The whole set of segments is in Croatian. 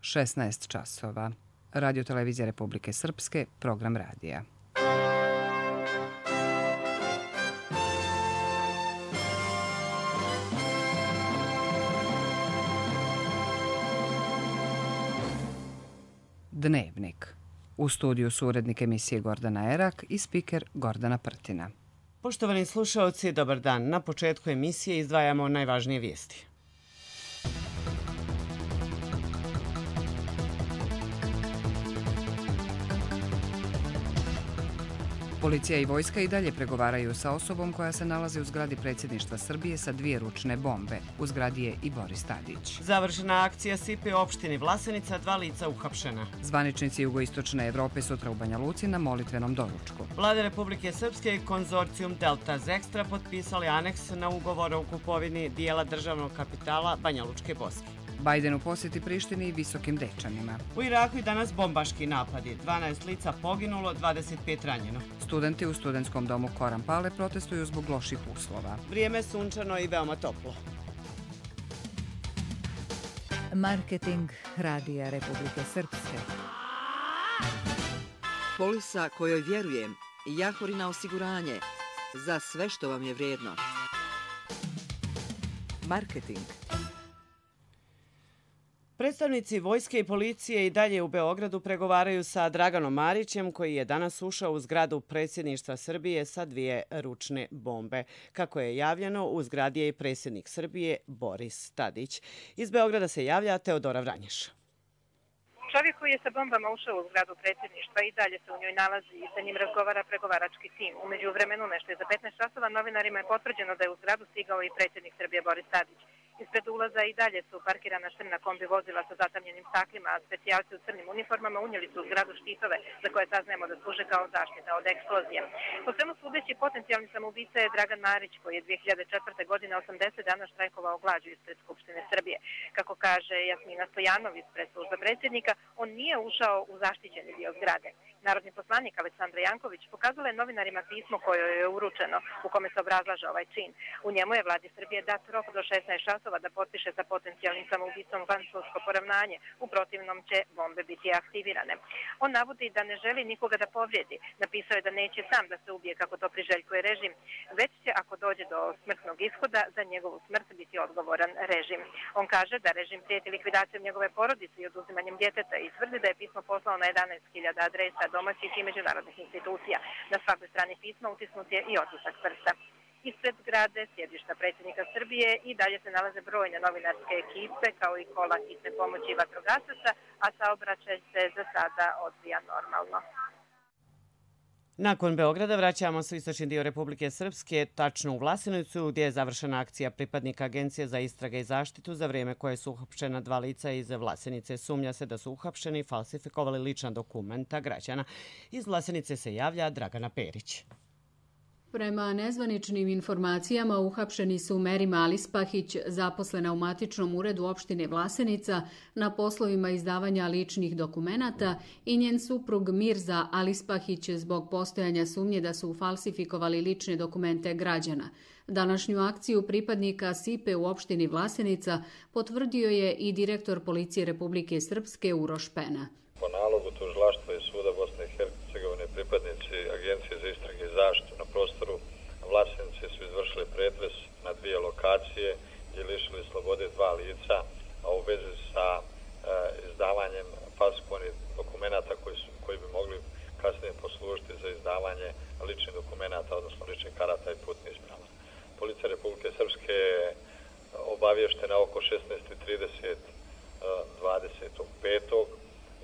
16 časova. Radio Televizija Republike Srpske, program radija. Dnevnik. U studiju su urednik emisije Gordana Erak i spiker Gordana Prtina. Poštovani slušaoci, dobar dan. Na početku emisije izdvajamo najvažnije vijesti. Policija i vojska i dalje pregovaraju sa osobom koja se nalazi u zgradi predsjedništva Srbije sa 2 ručne bombe. U zgradi je i Boris Tadić. Završena akcija SIPE u opštini Vlasenica, 2 lica uhapšena. Zvaničnici jugoistočne Evrope sutra u Banja Luci na molitvenom doručku. Vlada Republike Srpske i konzorcijum Delta Zextra potpisali aneks na ugovor o kupovini dijela državnog kapitala Banja Lučke Boske. Bajden u posjeti Prištini i Visokim Dečanima. U Iraku i danas bombaški napadi. 12 lica poginulo, 25 ranjeno. Studenti u studentskom domu Koran Pale protestuju zbog loših uslova. Vrijeme sunčano i veoma toplo. Marketing Radija Republike Srpske. Polisa kojoj vjerujem. Jahorina osiguranje. Za sve što vam je vrijedno. Marketing. Predstavnici vojske i policije i dalje u Beogradu pregovaraju sa Draganom Marićem, koji je danas ušao u zgradu predsjedništva Srbije sa 2 ručne bombe. Kako je javljeno, u zgradi je i predsjednik Srbije Boris Tadić. Iz Beograda se javlja Teodora Vranješ. Čovjek koji je sa bombama ušao u zgradu predsjedništva i dalje se u njoj nalazi i sa njim razgovara pregovarački tim. U međuvremenu nešto je za 15 časova novinarima je potvrđeno da je u zgradu stigao i predsjednik Srbije Boris Tadić. Ispred ulaza i dalje su parkirana crna kombi vozila sa zatamljenim staklima, a specijalci u crnim uniformama unijeli su u zgradu štitove za koje saznajemo da služe kao zaštita od eksplozije. Po svemu sudeći, potencijalni samoubica je Dragan Marić, koji je 2004. godine 80 dana štrajkovao glađu ispred Skupštine Srbije. Kako kaže Jasmina Stojanov ispred službe predsjednika, on nije ušao u zaštićeni dio zgrade. Narodni poslanik Aleksandra Janković pokazala je novinarima pismo koje je uručeno, u kome se obrazlaže ovaj čin. U njemu je vladi Srbije dat rok do 16 časova da potpiše sa potencijalnim samoubicom vansudsko poravnanje, u protivnom će bombe biti aktivirane. On navodi da ne želi nikoga da povrijedi. Napisao je da neće sam da se ubije kako to priželjkuje režim, već će ako dođe do smrtnog ishoda za njegovu smrt biti odgovoran režim. On kaže da režim prijeti likvidacijom njegove porodice i oduzimanjem djeteta i tvrdi da je pismo poslao na 11.000 adresa domaćih i međunarodnih institucija. Na svakoj strani pisma utisnut je i otisak prsta. Ispred zgrade sjedišta predsjednika Srbije i dalje se nalaze brojne novinarske ekipe kao i kola hitne pomoći i vatrogasaca, a saobraćaj se za sada odvija normalno. Nakon Beograda vraćamo se u istočni dio Republike Srpske, tačno u Vlasenicu, gdje je završena akcija pripadnika Agencije za istrage i zaštitu, za vrijeme koje su uhapšena 2 lica iz Vlasenice. Sumnja se da su uhapšeni i falsifikovali lična dokumenta građana. Iz Vlasenice se javlja Dragana Perić. Prema nezvaničnim informacijama uhapšeni su Merima Alispahić, zaposlena u matičnom uredu opštine Vlasenica na poslovima izdavanja ličnih dokumenata, i njen suprug Mirza Alispahić zbog postojanja sumnje da su falsifikovali lične dokumente građana. Današnju akciju pripadnika SIPE u opštini Vlasenica potvrdio je i direktor Policije Republike Srpske Uroš Pena. Po nalogu tužilaštva i suda Bosne i Hercegovine pripadnici Agencije za istrage i zaštitu na prostoru Vlasenice su izvršili pretres na 2 lokacije i lišili slobode 2 lica, a u vezi sa izdavanjem falsifikovanih dokumenata koji bi mogli kasnije poslužiti za izdavanje ličnih dokumenata, odnosno ličnih karata i putnih isprava. Policija Republike Srpske je obavještena oko 16:30 25.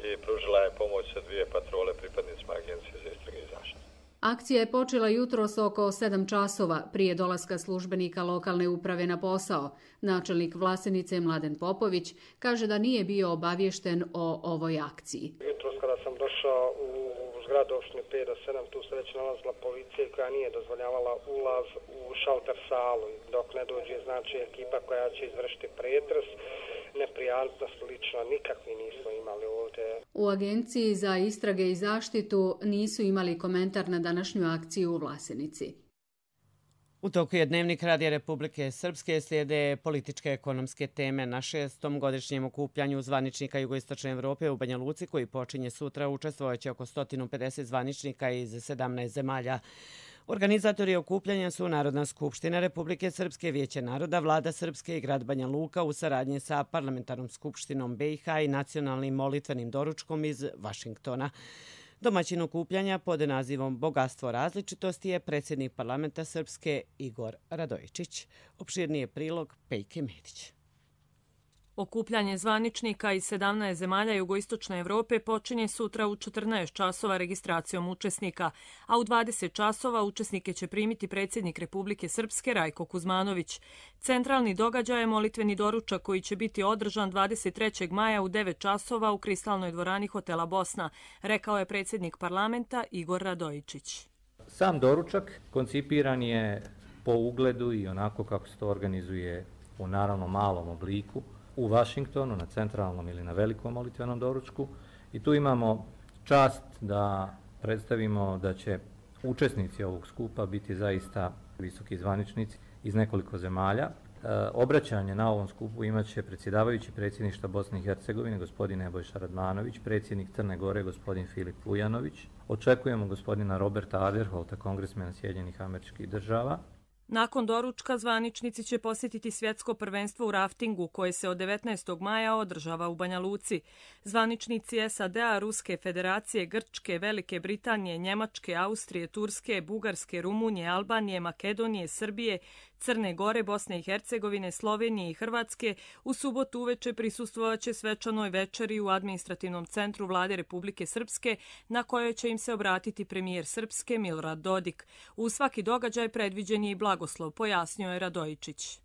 i pružila je pomoć sa 2 patrole pripadnicima Agencije za istrage i zaštitu. Akcija je počela jutros oko 7 časova prije dolaska službenika lokalne uprave na posao. Načelnik Vlasenice Mladen Popović kaže da nije bio obaviješten o ovoj akciji. Jutros kada sam došao u zgradu opštine 5 do 7, tu se već nalazila policija koja nije dozvoljavala ulaz u šalter salu. Dok ne dođe znači ekipa koja će izvršiti pretres, neprijatnost lično nikakvi nismo imali ovdje. U Agenciji za istrage i zaštitu nisu imali komentar na današnju akciju u Vlasenici. U toku je Dnevnik Radija Republike Srpske, slijede političke ekonomske teme na 6. godišnjem okupljanju zvaničnika Jugoistočne Evrope u Banja Luci, koji počinje sutra. Učestvovaće oko 150 zvaničnika iz 17 zemalja. Organizatori okupljanja su Narodna skupština Republike Srpske, Vijeće naroda, Vlada Srpske i grad Banja Luka u saradnji sa Parlamentarnom skupštinom BiH i nacionalnim molitvenim doručkom iz Vašingtona. Domaćin okupljanja pod nazivom Bogatstvo različitosti je predsjednik parlamenta Srpske Igor Radojičić. Opširniji prilog Pejke Medić. Okupljanje zvaničnika iz 17 zemalja Jugoistočne Evrope počinje sutra u 14 časova registracijom učesnika, a u 20 časova učesnike će primiti predsjednik Republike Srpske Rajko Kuzmanović. Centralni događaj je molitveni doručak koji će biti održan 23. maja u 9 časova u kristalnoj dvorani hotela Bosna, rekao je predsjednik parlamenta Igor Radojičić. Sam doručak koncipiran je po ugledu i onako kako se to organizuje u naravno malom obliku u Vašingtonu, na centralnom ili na velikom molitvenom doručku. I tu imamo čast da predstavimo da će učesnici ovog skupa biti zaista visoki zvaničnici iz nekoliko zemalja. Obraćanje na ovom skupu imaće predsjedavajući predsjedništva Bosne i Hercegovine, gospodin Nebojša Radmanović, predsjednik Crne Gore, gospodin Filip Vujanović. Očekujemo gospodina Roberta Aderholta, kongresmena Sjedinjenih Američkih Država. Nakon doručka zvaničnici će posjetiti svjetsko prvenstvo u raftingu koje se od 19. maja održava u Banja Luci. Zvaničnici SAD-a, Ruske federacije, Grčke, Velike Britanije, Njemačke, Austrije, Turske, Bugarske, Rumunije, Albanije, Makedonije, Srbije, Crne Gore, Bosne i Hercegovine, Slovenije i Hrvatske u subotu uveče prisustvovaće svečanoj večeri u administrativnom centru Vlade Republike Srpske, na kojoj će im se obratiti premijer Srpske Milorad Dodik. U svaki događaj predviđen je i blagoslov, pojasnio je Radojičić.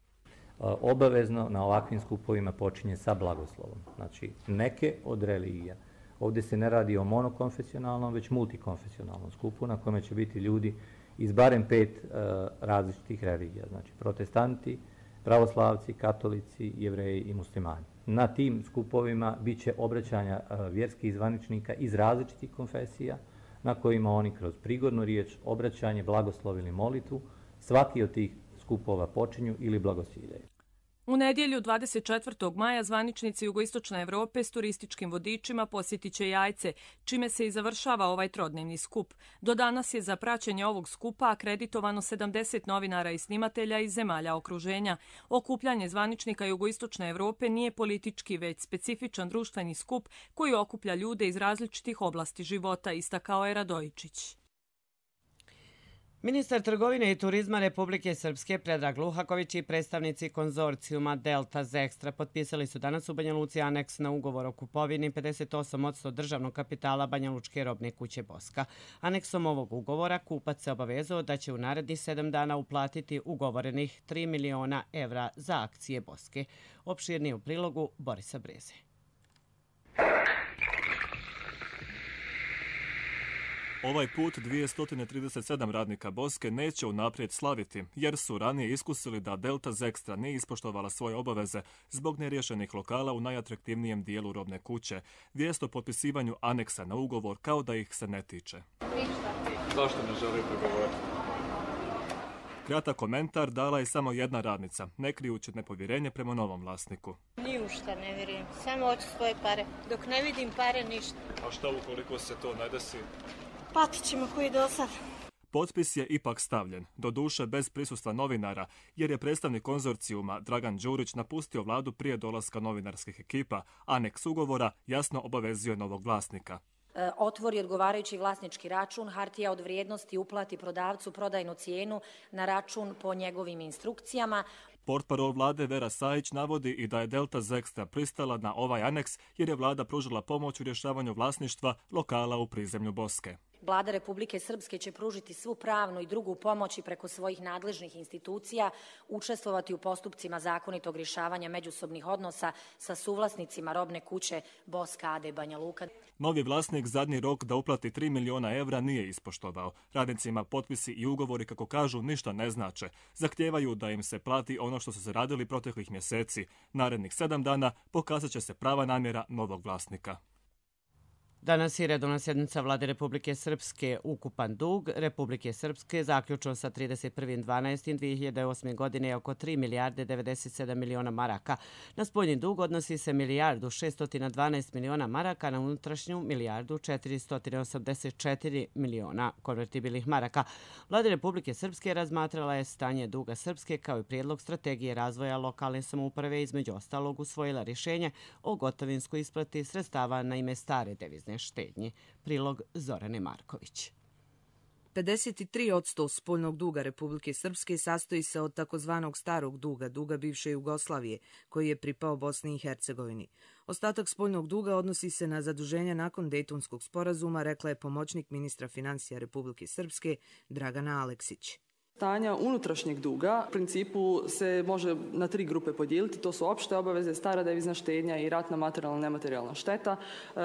Obavezno na ovakvim skupovima počinje sa blagoslovom. Znači, neke od religija. Ovdje se ne radi o monokonfesionalnom, već multikonfesionalnom skupu na kome će biti ljudi iz barem 5 različitih religija, znači protestanti, pravoslavci, katolici, jevreji i muslimani. Na tim skupovima bit će obraćanja vjerskih zvaničnika iz različitih konfesija, na kojima oni kroz prigodnu riječ, obraćanje, blagoslov ili molitvu, svaki od tih skupova počinju ili blagosiljaju. U nedjelju 24. maja zvaničnici Jugoistočne Evrope s turističkim vodičima posjetit će Jajce, čime se i završava ovaj trodnevni skup. Do danas je za praćenje ovog skupa akreditovano 70 novinara i snimatelja iz zemalja okruženja. Okupljanje zvaničnika Jugoistočne Evrope nije politički, već specifičan društveni skup koji okuplja ljude iz različitih oblasti života, istakao je Radojičić. Ministar trgovine i turizma Republike Srpske Predrag Luhaković i predstavnici konzorcijuma Delta Zextra potpisali su danas u Banja Luci aneks na ugovor o kupovini 58% državnog kapitala Banja Lučke robne kuće Boska. Aneksom ovog ugovora kupac se obavezao da će u narednih 7 dana uplatiti ugovorenih 3 miliona evra za akcije Boske. Opširnije u prilogu Borisa Breze. Ovaj put 237 radnika Boske neće unaprijed slaviti, jer su ranije iskusili da Delta Zextra nije ispoštovala svoje obaveze zbog neriješenih lokala u najatraktivnijem dijelu robne kuće. Vijest o potpisivanju aneksa na ugovor kao da ih se ne tiče. Zašto ne želite govoriti? Kratak komentar dala je samo jedna radnica, ne krijući nepovjerenje prema novom vlasniku. Ni u šta ne vjerujem, samo hoću svoje pare. Dok ne vidim pare, ništa. A šta ukoliko se to ne desi? Platit ćemo koji do sad. Potpis je ipak stavljen, doduše bez prisustva novinara, jer je predstavnik konzorcijuma Dragan Đurić napustio vladu prije dolaska novinarskih ekipa. Aneks ugovora jasno obavezuje novog vlasnika. Otvori odgovarajući vlasnički račun, hartija od vrijednosti uplati prodavcu prodajnu cijenu na račun po njegovim instrukcijama. Portparol vlade Vera Sajić navodi i da je Delta Zextra pristala na ovaj aneks jer je vlada pružila pomoć u rješavanju vlasništva lokala u prizemlju Boske. Vlada Republike Srpske će pružiti svu pravnu i drugu pomoć i preko svojih nadležnih institucija učestvovati u postupcima zakonitog rješavanja međusobnih odnosa sa suvlasnicima robne kuće Boska AD Banja Luka. Novi vlasnik zadnji rok da uplati 3 miliona evra nije ispoštovao. Radnicima potpisi i ugovori, kako kažu, ništa ne znače. Zahtijevaju da im se plati ono što su se radili proteklih mjeseci. Narednih 7 dana pokazat će se prava namjera novog vlasnika. Danas je redovna sjednica Vlade Republike Srpske. Ukupan dug Republike Srpske zaključen sa 31.12.2008. godine je oko 3 milijarde 97 miliona maraka. Na spoljni dug odnosi se milijardu 612 miliona maraka, na unutrašnju milijardu 484 miliona konvertibilnih maraka. Vlada Republike Srpske razmatrala je stanje duga Srpske kao i prijedlog strategije razvoja lokalne samouprave, između ostalog usvojila rješenje o gotovinskoj isplati sredstava na ime stare devizne štednje. Prilog Zorane Marković. 53% spoljnog duga Republike Srpske sastoji se od takozvanog starog duga, duga bivše Jugoslavije, koji je pripao Bosni i Hercegovini. Ostatak spoljnog duga odnosi se na zaduženja nakon Dejtonskog sporazuma, rekla je pomoćnik ministra financija Republike Srpske Dragana Aleksić. Stanja unutrašnjeg duga u principu se može na 3 grupe podijeliti. To su opšte obaveze, stara devizna štednja i ratna materijalna nematerijalna šteta.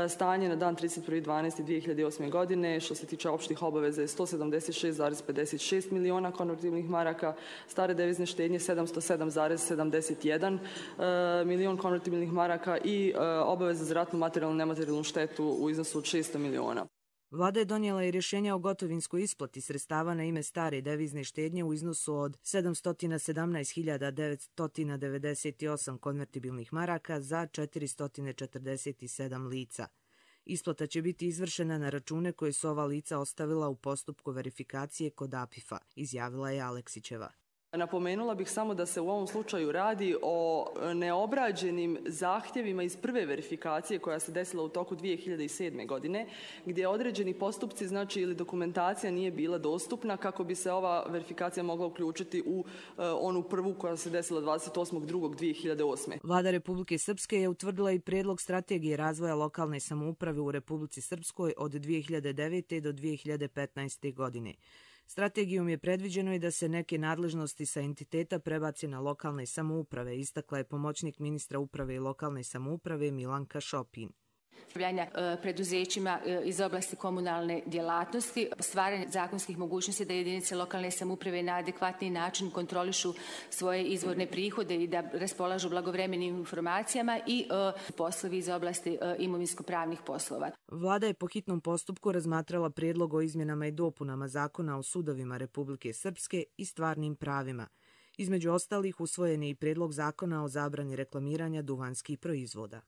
Stanje na dan 31.12.2008. godine što se tiče opštih obaveza je 176,56 miliona konvertibilnih maraka, stare devizne štednje 707,71 milion konvertibilnih maraka i obaveze za ratnu materijalnu nematerijalnu štetu u iznosu od 600 miliona. Vlada je donijela i rješenja o gotovinskoj isplati sredstava na ime stare devizne štednje u iznosu od 717.998 konvertibilnih maraka za 447 lica. Isplata će biti izvršena na račune koje su ova lica ostavila u postupku verifikacije kod APIF-a, izjavila je Aleksićeva. Napomenula bih samo da se u ovom slučaju radi o neobrađenim zahtjevima iz prve verifikacije koja se desila u toku 2007. godine, gdje određeni postupci, znači ili dokumentacija nije bila dostupna kako bi se ova verifikacija mogla uključiti u onu prvu koja se desila 28.2.2008. Vlada Republike Srpske je utvrdila i prijedlog strategije razvoja lokalne samouprave u Republici Srpskoj od 2009. do 2015. godine. Strategijom je predviđeno i da se neke nadležnosti sa entiteta prebaci na lokalne samouprave, istakla je pomoćnik ministra uprave i lokalne samouprave Milanka Šopin. Preduzećima iz oblasti komunalne djelatnosti, stvaranje zakonskih mogućnosti da jedinice lokalne samouprave na adekvatni način kontrolišu svoje izvorne prihode i da raspolažu blagovremenim informacijama i poslovi iz oblasti imovinsko-pravnih poslova. Vlada je po hitnom postupku razmatrala prijedlog o izmjenama i dopunama Zakona o sudovima Republike Srpske i stvarnim pravima. Između ostalih usvojen je i prijedlog Zakona o zabrani reklamiranja duvanskih proizvoda.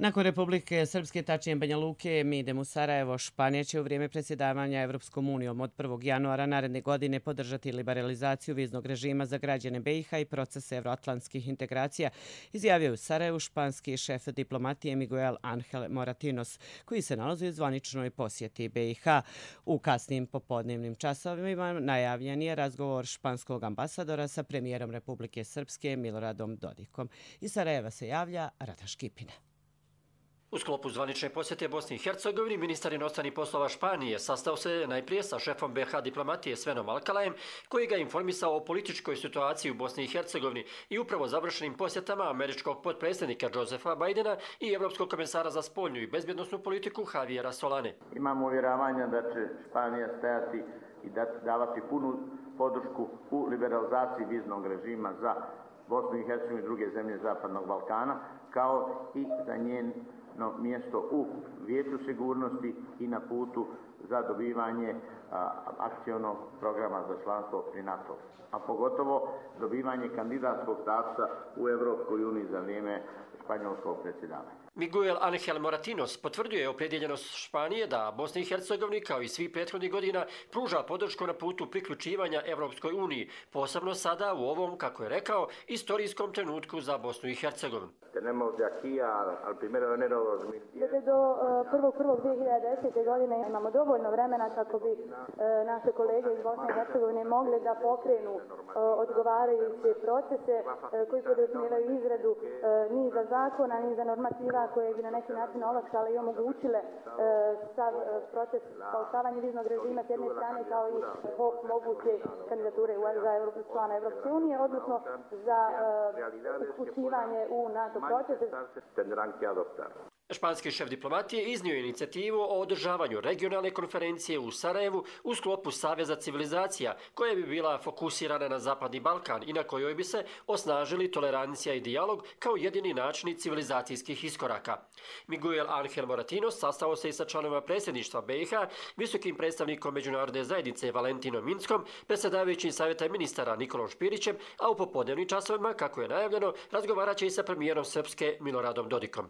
Nakon Republike Srpske, tačnije Banja Luke, mi idemo u Sarajevo. Španija će u vrijeme predsjedavanja Evropskom unijom od 1. januara naredne godine podržati liberalizaciju viznog režima za građane BiH i proces evroatlantskih integracija, izjavio u Sarajevu španski šef diplomatije Miguel Ángel Moratinos, koji se nalazi u zvaničnoj posjeti BiH. U kasnim popodnevnim časovima najavljen je razgovor španskog ambasadora sa premijerom Republike Srpske Miloradom Dodikom. Iz Sarajeva se javlja Rada Škipina. U sklopu zvanične posjete Bosni i Hercegovini, ministar inostranih poslova Španije sastao se najprije sa šefom BiH diplomatije Svenom Alkalajem, koji ga informisao o političkoj situaciji u Bosni i Hercegovini i upravo završenim posjetama američkog potpredsjednika Josepha Bidena i evropskog komisara za spoljnu i bezbjednosnu politiku Javiera Solane. Imamo uvjeravanja da će Španija stajati i davati punu podršku u liberalizaciji viznog režima za Bosnu i Hercegovinu i druge zemlje Zapadnog Balkana, kao i za njeno mjesto u Vijeću sigurnosti i na putu za dobivanje akcionog programa za članstvo pri NATO, a pogotovo dobivanje kandidatskog statusa u Evropskoj uniji za vrijeme španjolskog predsjedavanja. Miguel Ángel Moratinos potvrdio je opredjeljenost Španije da Bosni i Hercegovini, kao i svih prethodnih godina, pruža podršku na putu priključivanja Evropskoj uniji, posebno sada u ovom, kako je rekao, istorijskom trenutku za Bosnu i Hercegovinu. Dakle, do 1.1.2010. godine imamo dovoljno vremena kako bi naše kolege iz Bosne i Hercegovine mogli da pokrenu odgovarajuće procese koji podrazumijevaju izradu niza zakona, niza normativa koje bi na neki način olakšale i omogućile sav proces paušavanja viznog režima s jedne strane kao i moguće kandidature za člana Evropske unije, odnosno za uključivanje u NATO procese. Španski šef diplomatije iznio je inicijativu o održavanju regionalne konferencije u Sarajevu u sklopu Saveza civilizacija, koja bi bila fokusirana na Zapadni Balkan i na kojoj bi se osnažili tolerancija i dijalog kao jedini načini civilizacijskih iskoraka. Miguel Ángel Moratinos sastao se i sa članovima predsjedništva BiH, visokim predstavnikom međunarodne zajednice Valentinom Minskom, predsjedavajućim savjeta ministara Nikolom Špirićem, a u popodnevnim časovima, kako je najavljeno, razgovarat će i sa premijerom Srpske Miloradom Dodikom.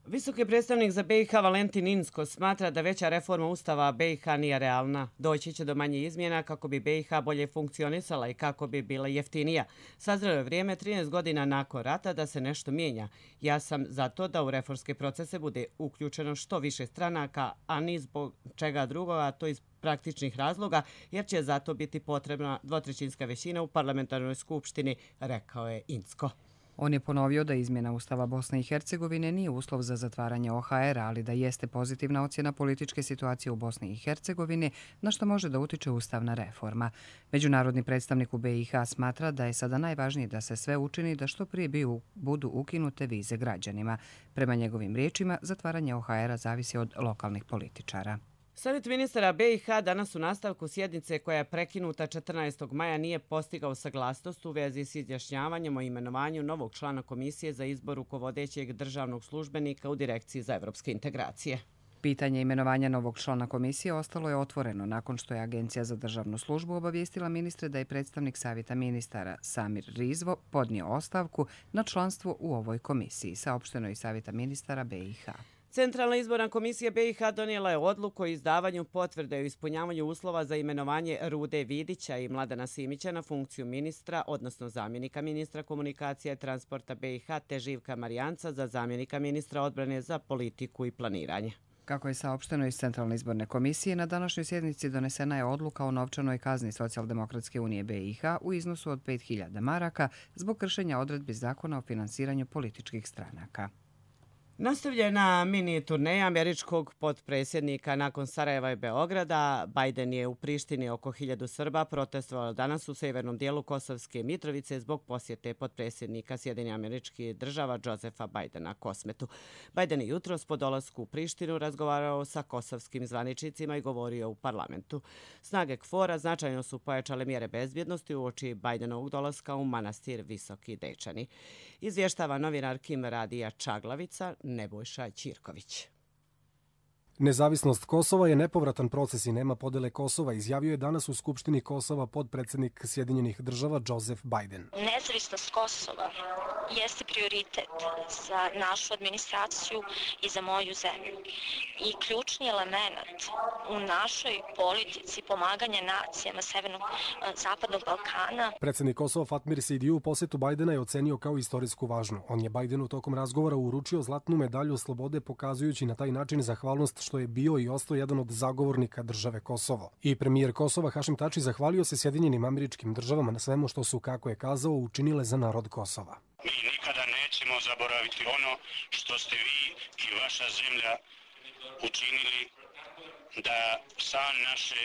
Visoki predstavnik za BiH Valentin Inzko smatra da veća reforma Ustava BiH nije realna. Doći će do manje izmjena kako bi BiH bolje funkcionisala i kako bi bila jeftinija. Sazrelo je vrijeme 13 godina nakon rata da se nešto mijenja. Ja sam za to da u reformske procese bude uključeno što više stranaka, a ni zbog čega drugoga, to iz praktičnih razloga, jer će zato biti potrebna dvotrećinska većina u parlamentarnoj skupštini, rekao je Inzko. On je ponovio da izmjena Ustava Bosne i Hercegovine nije uslov za zatvaranje OHR, ali da jeste pozitivna ocjena političke situacije u Bosni i Hercegovini, na što može da utiče ustavna reforma. Međunarodni predstavnik u BiH smatra da je sada najvažnije da se sve učini da što prije budu ukinute vize građanima. Prema njegovim riječima, zatvaranje OHR-a zavisi od lokalnih političara. Savjet ministara BiH danas u nastavku sjednice koja je prekinuta 14. maja nije postigao saglasnost u vezi s izjašnjavanjem o imenovanju novog člana Komisije za izbor rukovodećeg državnog službenika u Direkciji za evropske integracije. Pitanje imenovanja novog člana komisije ostalo je otvoreno nakon što je Agencija za državnu službu obavijestila ministre da je predstavnik Savjeta ministara Samir Rizvo podnio ostavku na članstvo u ovoj komisiji, saopšteno je Savjeta ministara BiH. Centralna izborna komisija BiH donijela je odluku o izdavanju potvrde o ispunjavanju uslova za imenovanje Rude Vidića i Mladena Simića na funkciju ministra, odnosno zamjenika ministra komunikacije i transporta BiH, te Živka Marijanca za zamjenika ministra odbrane za politiku i planiranje. Kako je saopšteno iz Centralne izborne komisije, na današnjoj sjednici donesena je odluka o novčanoj kazni Socijaldemokratske unije BiH u iznosu od 5.000 maraka zbog kršenja odredbi zakona o finansiranju političkih stranaka. Nastavljena mini turneja američkog potpredsjednika nakon Sarajeva i Beograda, Biden je u Prištini oko 1000 Srba protestovalo danas u severnom dijelu Kosovske Mitrovice zbog posjete potpredsjednika Sjedinjenih Američkih Država Josefa Bidena Kosmetu. Biden je jutros po dolasku u Prištinu razgovarao sa kosovskim zvaničnicima i govorio u parlamentu. Snage KFOR-a značajno su pojačale mjere bezbjednosti uoči Bidenovog dolaska u manastir Visoki Dečani. Izvještava novinar Kim Radija Čaglavica, Nebojša Ćirković. Nezavisnost Kosova je nepovratan proces i nema podele Kosova, izjavio je danas u Skupštini Kosova podpredsjednik Sjedinjenih Država Joseph Biden. Nezavisnost Kosova jeste prioritet za našu administraciju i za moju zemlju. I ključni element u našoj politici pomaganja nacijama Zapadnog Balkana. Predsjednik Kosova Fatmir Sidiu posjetu Bidena je ocenio kao istorijsku važnu. On je Bidenu tokom razgovora uručio zlatnu medalju slobode, pokazujući na taj način zahvalnost što je bio i ostao jedan od zagovornika države Kosovo. I premijer Kosova Hašim Tači zahvalio se Sjedinjenim Američkim Državama na svemu što su, kako je kazao, učinile za narod Kosova. Mi nikada nećemo zaboraviti ono što ste vi i vaša zemlja učinili da san naše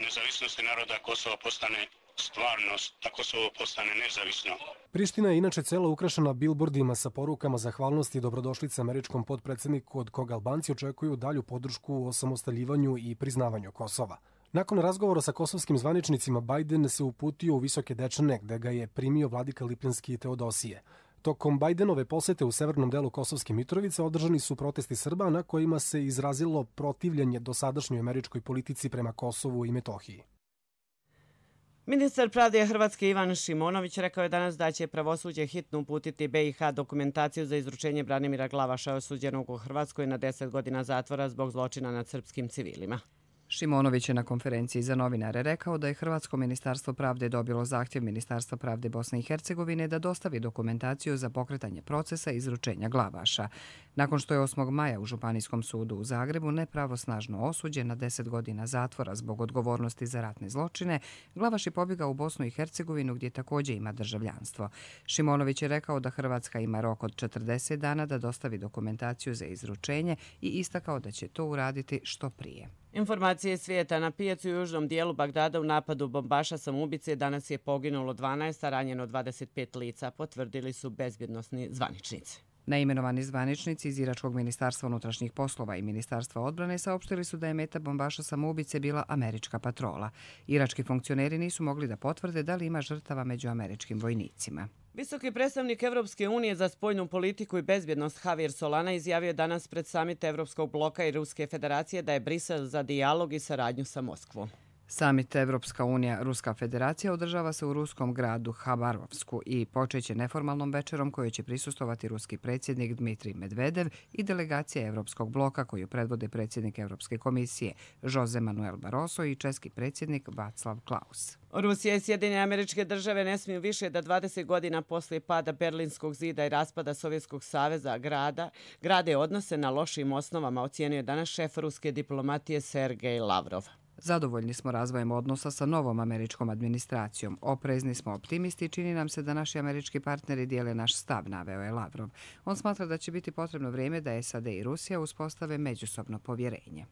nezavisnosti naroda Kosova postane stvarnost, da Kosovo postane nezavisno. Priština je inače cela ukrašena bilbordima sa porukama zahvalnosti i dobrodošlice američkom potpredsjedniku, od koga Albanci očekuju dalju podršku u osamostaljivanju i priznavanju Kosova. Nakon razgovora sa kosovskim zvaničnicima, Biden se uputio u Visoke Dečane, gde ga je primio vladika Lipljanski Teodosije. Tokom Bidenove posete u severnom delu Kosovske Mitrovice održani su protesti Srba na kojima se izrazilo protivljenje dosadašnjoj američkoj politici prema Kosovu i Metohiji. Ministar pravde Hrvatske Ivan Šimonović rekao je danas da će pravosuđe hitno uputiti BiH dokumentaciju za izručenje Branimira Glavaša, osuđenog u Hrvatskoj na 10 godina zatvora zbog zločina nad srpskim civilima. Šimonović je na konferenciji za novinare rekao da je Hrvatsko ministarstvo pravde dobilo zahtjev Ministarstva pravde Bosne i Hercegovine da dostavi dokumentaciju za pokretanje procesa izručenja Glavaša. Nakon što je 8. maja u Županijskom sudu u Zagrebu nepravosnažno osuđen na 10 godina zatvora zbog odgovornosti za ratne zločine, Glavaš je pobjegao u Bosnu i Hercegovinu gdje također ima državljanstvo. Šimonović je rekao da Hrvatska ima rok od 40 dana da dostavi dokumentaciju za izručenje i istakao da će to uraditi što prije. Informacije svijeta: na pijacu u južnom dijelu Bagdada u napadu bombaša samoubice danas je poginulo 12, a ranjeno 25 lica, potvrdili su bezbjednosni zvaničnici. Naimenovani zvaničnici iz Iračkog ministarstva unutrašnjih poslova i ministarstva odbrane saopštili su da je meta bombaša samoubice bila američka patrola. Irački funkcioneri nisu mogli da potvrde da li ima žrtava među američkim vojnicima. Visoki predstavnik Evropske unije za spoljnu politiku i bezbjednost Javier Solana izjavio danas pred samit Evropskog bloka i Ruske federacije da je Brisel za dijalog i saradnju sa Moskvom. Samit Evropska unija Ruska federacija održava se u ruskom gradu Habarovsku i počeće neformalnom večerom kojoj će prisustovati ruski predsjednik Dmitrij Medvedev i delegacija Evropskog bloka koju predvode predsjednik Evropske komisije Jose Manuel Barroso i česki predsjednik Václav Klaus. Rusija i Sjedinjene Američke Države ne smiju više da 20 godina poslije pada Berlinskog zida i raspada Sovjetskog saveza grade odnose na lošim osnovama, ocijenio je danas šef ruske diplomatije Sergej Lavrov. Zadovoljni smo razvojem odnosa sa novom američkom administracijom. Oprezni smo optimisti i čini nam se da naši američki partneri dijele naš stav, naveo je Lavrov. On smatra da će biti potrebno vrijeme da SAD i Rusija uspostave međusobno povjerenje.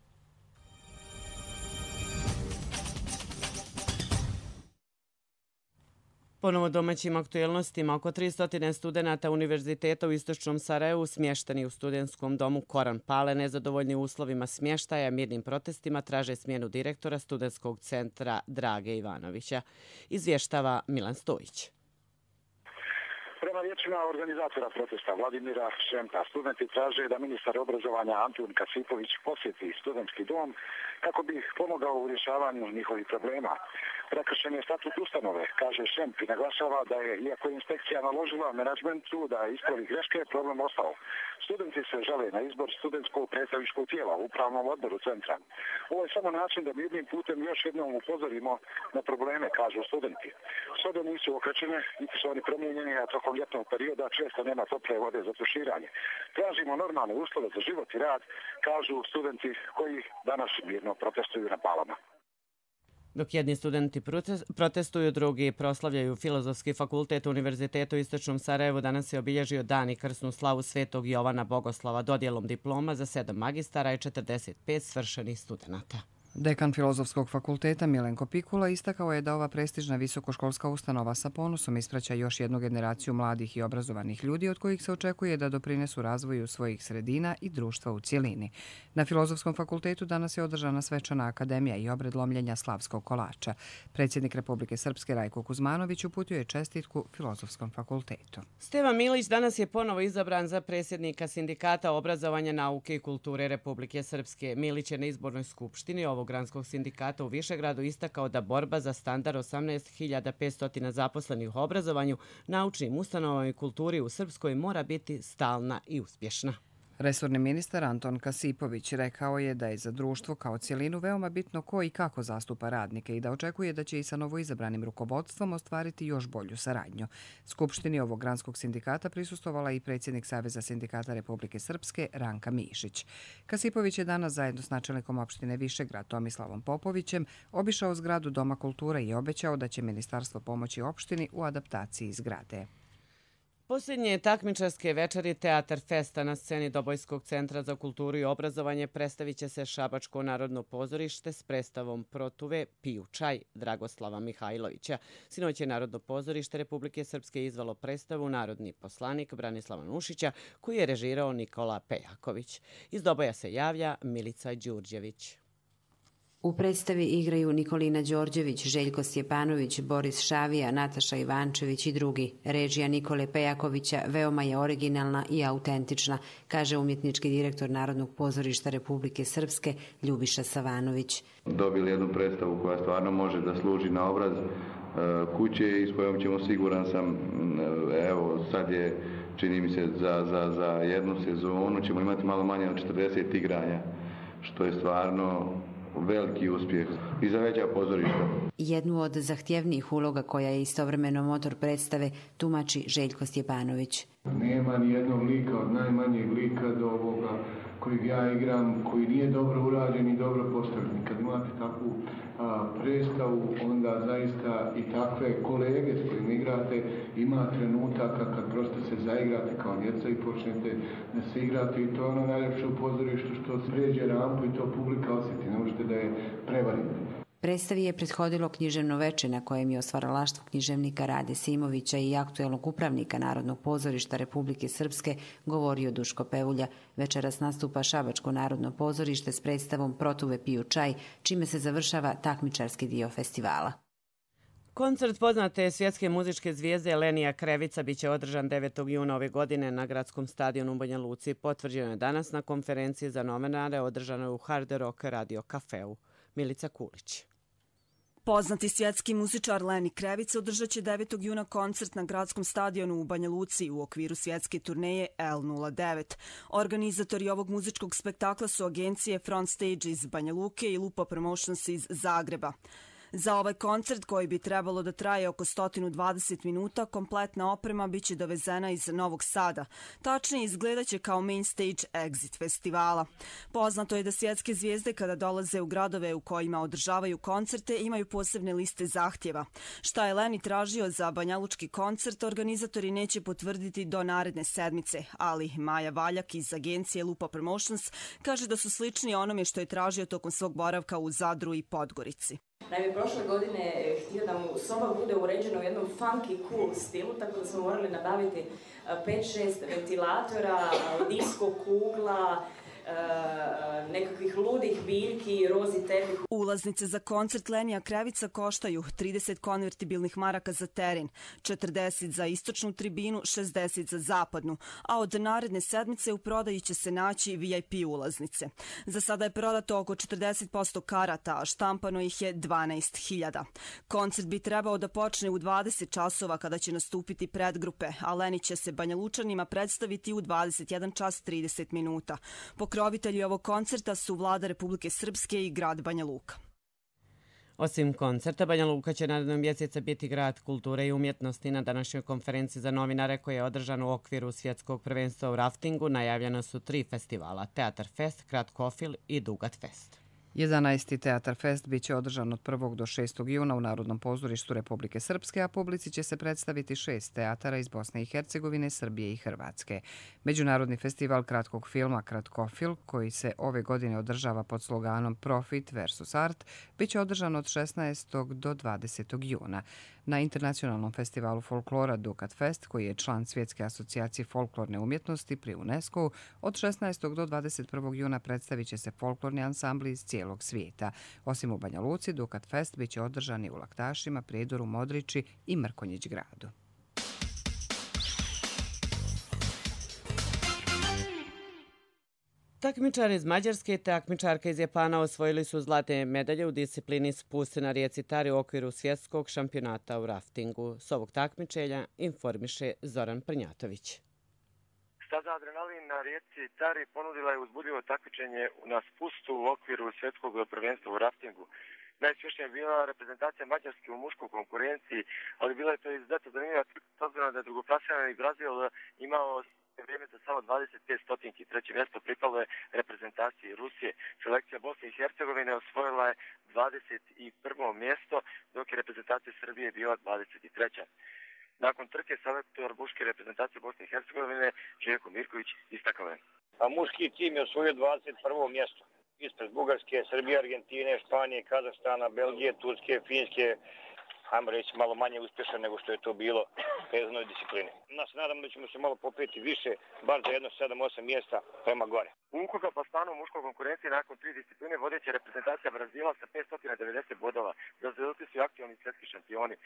Ponovo domaćim aktuelnostima, oko 300 studenata Univerziteta u Istočnom Sarajevu smješteni u studentskom domu Koran Pale nezadovoljni uslovima smještaja, mirnim protestima traže smjenu direktora studentskog centra Drage Ivanovića. Izvještava Milan Stojić. Prema riječima organizatora protesta Vladimira Šemka, studenti traže da ministar obrazovanja Antun Kasipović posjeti studentski dom kako bi pomogao u rješavanju njihovih problema. Prekršen je statut ustanove, kaže Šemp i naglašava da je, iako je inspekcija naložila menadžmentu da ispravi greške, problem ostao. Studenti se žale na izbor studentskog predstavničkog tijela u upravnom odboru centra. Ovo je samo način da mirnim putem još jednom upozorimo na probleme, kažu studenti. Sobe nisu okrećene, niti su oni promijenjeni, a tokom ljetnog perioda često nema tople vode za tuširanje. Tražimo normalne uslove za život i rad, kažu studenti koji danas mirno protestuju na Palama. Dok jedni studenti protestuju, drugi proslavljaju Filozofski fakultet Univerziteta u Istočnom Sarajevu, danas je obilježio dan i krsnu slavu Svetog Jovana Bogoslava dodjelom diploma za 7 magistara i 45 svršenih studenata. Dekan Filozofskog fakulteta Milenko Pikula istakao je da ova prestižna visokoškolska ustanova sa ponosom ispraća još jednu generaciju mladih i obrazovanih ljudi od kojih se očekuje da doprinesu razvoju svojih sredina i društva u cjelini. Na Filozofskom fakultetu danas je održana svečana akademija i obred lomljenja slavskog kolača. Predsjednik Republike Srpske Rajko Kuzmanović uputio je čestitku Filozofskom fakultetu. Stevan Milić danas je ponovo izabran za predsjednika Sindikata obrazovanja, nauke i kulture Republike Srpske. Milić je na izbornoj skupštini ovog granskog sindikata u Višegradu istakao da borba za standard 18.500 zaposlenih u obrazovanju, naučnim ustanovama i kulturi u Srpskoj mora biti stalna i uspješna. Resorni ministar Anton Kasipović rekao je da je za društvo kao cjelinu veoma bitno ko i kako zastupa radnike i da očekuje da će i sa novoizabranim rukovodstvom ostvariti još bolju saradnju. Skupštini ovog granskog sindikata prisustvovala i predsjednik Saveza sindikata Republike Srpske Ranka Mišić. Kasipović je danas zajedno s načelnikom opštine Višegrad Tomislavom Popovićem obišao zgradu Doma kulture i obećao da će ministarstvo pomoći opštini u adaptaciji zgrade. Posljednje takmičarske večeri Teatar Festa na sceni Dobojskog centra za kulturu i obrazovanje predstavit će se Šabačko narodno pozorište s predstavom Protuve Piju čaj Dragoslava Mihajlovića. Sinoć je Narodno pozorište Republike Srpske izvalo predstavu Narodni poslanik Branislava Nušića, koji je režirao Nikola Pejaković. Iz Doboja se javlja Milica Đurđević. U predstavi igraju Nikolina Đorđević, Željko Stjepanović, Boris Šavija, Nataša Ivančević i drugi. Režija Nikole Pejakovića veoma je originalna i autentična, kaže umjetnički direktor Narodnog pozorišta Republike Srpske Ljubiša Savanović. Dobili jednu predstavu koja stvarno može da služi na obraz kuće i s kojom ćemo, siguran sam, evo sad je, čini mi se, za jednu sezonu ćemo imati malo manje od 40 igranja, što je stvarno veliki uspjeh i za veća pozorišta. Jednu od zahtjevnijih uloga koja je istovremeno motor predstave tumači Željko Stjepanović. Nema ni jednog lika od najmanjeg lika do ovoga kojeg ja igram, koji nije dobro urađen i dobro postavljen. Kad imate takvu predstavu, onda zaista i takve kolege s kojim igrate, ima trenutaka kad prosto se zaigrate kao djeca i počnete da se igrate i to je ono najljepše u pozorištu što spređe rampu i to publika osjeti, ne možete da je prevarite. Predstavi je prethodilo književno veče na kojem je o stvaralaštvu književnika Rade Simovića i aktuelnog upravnika Narodnog pozorišta Republike Srpske govorio Duško Pevulja. Večeras nastupa Šabačko narodno pozorište s predstavom Protuve piju čaj, čime se završava takmičarski dio festivala. Koncert poznate svjetske muzičke zvijezde Lenija Krevica biće održan 9. juna ove godine na gradskom stadionu u Banja Luci. Potvrđeno je danas na konferenciji za novinare održanoj u Hard Rock Radio Cafeu. Milica Kulić. Poznati svjetski muzičar Leni Krevica održat će 9. juna koncert na gradskom stadionu u Banja Luci u okviru svjetske turneje L09. Organizatori ovog muzičkog spektakla su agencije Front Stage iz Banja Luke i Lupa Promotions iz Zagreba. Za ovaj koncert, koji bi trebalo da traje oko 120 minuta, kompletna oprema biće dovezena iz Novog Sada. Tačnije izgledaće kao main stage exit festivala. Poznato je da svjetske zvijezde kada dolaze u gradove u kojima održavaju koncerte imaju posebne liste zahtjeva. Šta je Leni tražio za banjalučki koncert, organizatori neće potvrditi do naredne sedmice, ali Maja Valjak iz agencije Lupa Promotions kaže da su slični onome što je tražio tokom svog boravka u Zadru i Podgorici. Naime, prošle godine je htio da mu soba bude uređena u jednom funky, cool stilu, tako da smo morali nabaviti 5-6 ventilatora, disko kugla, nekakvih ludih biljki, rozi tepih. Ulaznice za koncert Lenija Krevica koštaju 30 konvertibilnih maraka za teren, 40 za istočnu tribinu, 60 za zapadnu, a od naredne sedmice u prodaji će se naći VIP ulaznice. Za sada je prodato oko 40% karata, a štampano ih je 12.000. Koncert bi trebao da počne u 20 časova kada će nastupiti predgrupe, a Leni će se Banjalučanima predstaviti u 21 čas 30 minuta. Pokrovitelji ovog koncerta su Vlada Republike Srpske i grad Banja Luka. Osim koncerta, Banja Luka će narednog mjeseca biti grad kulture i umjetnosti. Na današnjoj konferenciji za novinare koja je održana u okviru svjetskog prvenstva u raftingu najavljena su 3 festivala: Teatar Fest, Kratkofil i Dugat Fest. 11. Teatar Fest biće održan od 1. do 6. juna u Narodnom pozorištu Republike Srpske, a publici će se predstaviti 6 teatara iz Bosne i Hercegovine, Srbije i Hrvatske. Međunarodni festival kratkog filma Kratkofil, koji se ove godine održava pod sloganom Profit versus Art, biće održan od 16. do 20. juna. Na internacionalnom festivalu folklora Dukat Fest, koji je član Svjetske asocijacije folklorne umjetnosti pri UNESCO, od 16. do 21. juna predstavit će se folklorni ansambli iz cijelog svijeta. Osim u Banja Luci, Dukat Fest biće održan i u Laktašima, Prijedoru, Modriči i Mrkonjić gradu. Takmičar iz Mađarske i takmičarka iz Japana osvojili su zlatne medalje u disciplini spust na rijeci Tari u okviru svjetskog šampionata u raftingu. S ovog takmičenja informiše Zoran Prnjatović. Staza Adrenalin na rijeci Tari ponudila je uzbudljivo takmičenje na spustu u okviru svjetskog prvenstva u raftingu. Najuspješnija je bila reprezentacija Mađarske u muškoj konkurenciji, ali bila je to izuzetno zanimljiva s obzirom da je drugoplasirani Brazil imao vrijeme za samo 25 stotinki. Treće mjesto pripalo je reprezentaciji Rusije. Selekcija Bosne i Hercegovine osvojila je 21. mjesto, dok je reprezentacija Srbije bila 23. Nakon trke selektor muške reprezentacije Bosne i Hercegovine Željko Mirković istakao je: muški tim je osvojio 21. mjesto. Ispred Bugarske, Srbije, Argentine, Španije, Kazahstana, Belgije, Turske, Finjske, ajmo reći malo manje uspješan nego što je to bilo u vezanoj disciplini. Nas nadam da ćemo se malo popeti više, bar za jedno 7-8 mjesta prema gore. U ukupnom plasmanu u muškoj konkurenciji nakon 3 discipline vodeća reprezentacija Brazila sa 590 bodova. Brazilci su aktivni svjetski šampioni.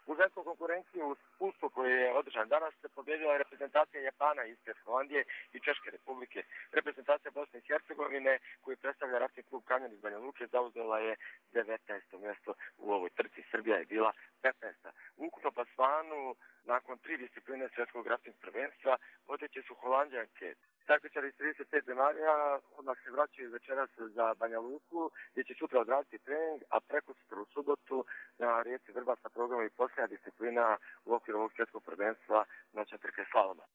U ženskoj konkurenciji u spustu koji je održan danas se pobjedila reprezentacija Japana ispred Holandije i Češke republike. Reprezentacija Bosne i Hercegovine koju predstavlja rafting klub Kanjon iz Banja Luke zauzela je 19. mjesto u ovoj trci. Srbija je bila 15. U ukupnom plasmanu nakon 3 discipline svjetskog rafting prvenstva vodeće su Holandjanke. Takmičari iz 35 zemalja odmah se vraćaju večeras za Banja Luku, gdje će sutra odraditi trening, a prekosutra u subotu na rijeci Vrbas na programu i posljednja disciplina u okviru ovog svjetskog prvenstva noćna trka slaloma.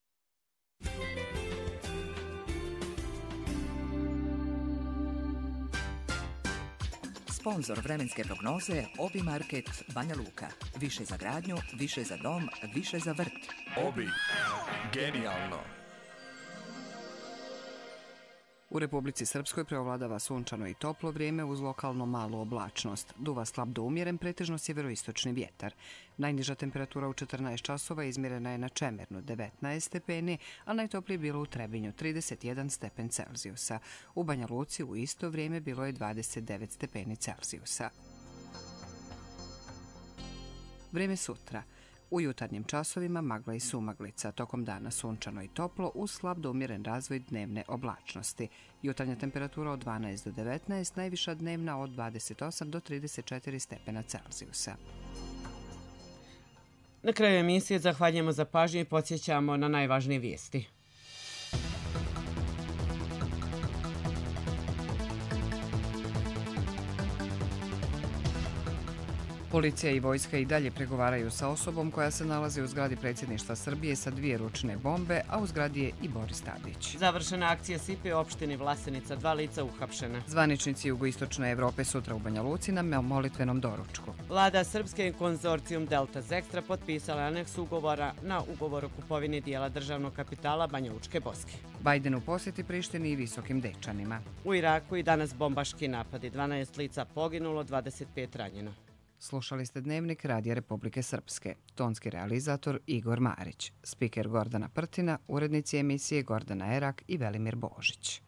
Sponzor vremenske prognoze Obi Market Banja Luka. Više za gradnju, više za dom, više za vrt. Obi. Genijalno. U Republici Srpskoj preovladava sunčano i toplo vrijeme uz lokalno malu oblačnost. Duva slab do umjeren, pretežno sjeveroistočni vjetar. Najniža temperatura u 14 časova izmjerena je na Čemernu 19 stepeni, a najtoplije bilo u Trebinju 31 stepen Celzijusa. U Banja Luci u isto vrijeme bilo je 29 stepeni Celzijusa. Vrijeme sutra. U jutarnjim časovima magla i sumaglica, tokom dana sunčano i toplo uz slab do umjeren razvoj dnevne oblačnosti. Jutarnja temperatura od 12 do 19, najviša dnevna od 28 do 34 stepena Celzijusa. Na kraju emisije zahvaljujemo za pažnju i podsjećamo na najvažnije vijesti. Policija i vojska i dalje pregovaraju sa osobom koja se nalazi u zgradi predsjedništva Srbije sa 2 ručne bombe, a u zgradi je i Boris Tadić. Završena akcija SIPE u opštini Vlasenica, 2 lica uhapšena. Zvaničnici jugoistočne Evrope sutra u Banja Luci na molitvenom doručku. Vlada Srpske i konzorcijum Delta Zextra potpisala aneks ugovora na ugovor o kupovini dijela državnog kapitala Banja Lučke Boske. Bajden u posjeti Prištini i Visokim Dečanima. U Iraku i danas bombaški napadi, 12 lica poginulo, 25 ranjeno. Slušali ste Dnevnik Radija Republike Srpske. Tonski realizator Igor Marić. Spiker Gordana Prtina, urednici emisije Gordana Erak i Velimir Božić.